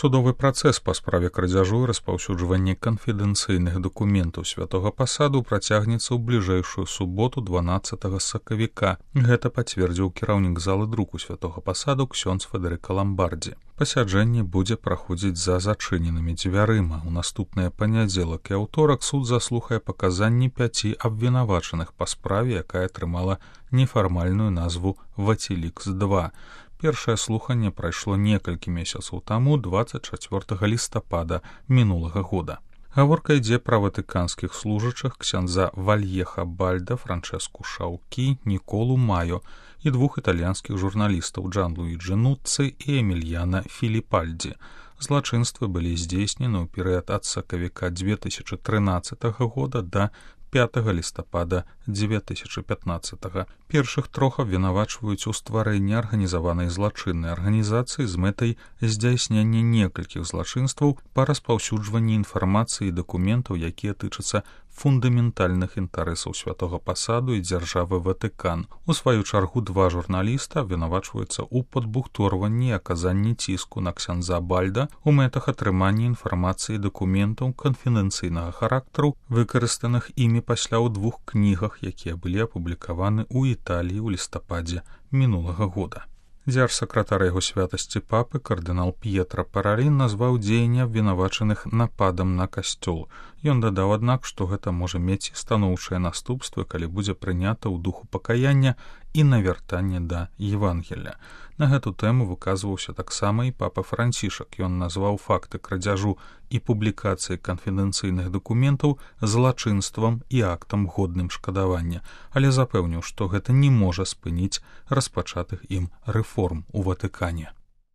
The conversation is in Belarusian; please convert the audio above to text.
Судовы працэс па справе крадзяжу і распаўсюджвання канфідэнцыйных дакументаў святога пасаду працягнецца ў бліжэйшую суботу 12 сакавіка. Гэта пацвердзіў кіраўнік залы друку святога пасаду ксёндз Федэрыка Ламбардзі. Пасяджэнне будзе праходзіць за зачыненымі дзвярыма. У наступныя панядзелак і аўторак суд заслухае паказанні 5 абвінавачаных па справе, якая атрымала нефармальную назву «Вацілікс-2». Першае слуханне прайшло некалькі месяцаў таму, 24 лістапада мінулага года. Гаворка ідзе пра ватыканскіх служачых ксяндза Вальеха Бальда, Франчэску Шаўкі, Ніколу Маё і 2 італьянскіх журналістаў Джан-Луіджі Нуцци і Эмільяна Філіпальдзі. Злачынствы былі здзейснены ў перыяд ад сакавіка 2013 года да 5 лістапада 2015. Першых трох абвінавачваюць у стварэнні арганізаванай злачыннай арганізацыі з мэтай здзяйснення некалькіх злачынстваў па распаўсюджванні інфармацыі і дакументаў, якія тычацца фундаментальных інтарэсаў святога пасаду і дзяржавы Ватыкан. У сваю чаргу 2 журналіста абвінавачваюцца ў падбухторванні і аказанні ціску на ксяндза Бальда у мэтах атрымання інфармацыі і дакументаў канфідэнцыйнага характару, выкарыстаных імі пасля ў 2 кнігах, якія былі апублікаваны ў Італіі ў лістападзе мінулага года. Дзярж-сакратар яго святасці папы кардынал П'етра Паралін назваў дзеянне абвінавачаных нападам на касцёл. Ён дадаў, аднак, што гэта можа мець станоўчыя наступствы, калі будзе прынята ў духу пакаяння і навяртання да Евангелля. На гэту тэму выказваўся таксама і папа Францішак. Ён назваў факты крадзяжу і публікацыі канфідэнцыйных дакументаў злачынствам і актам годным шкадавання, але запэўніў, што гэта не можа спыніць распачатых ім рэформ у Ватыкане.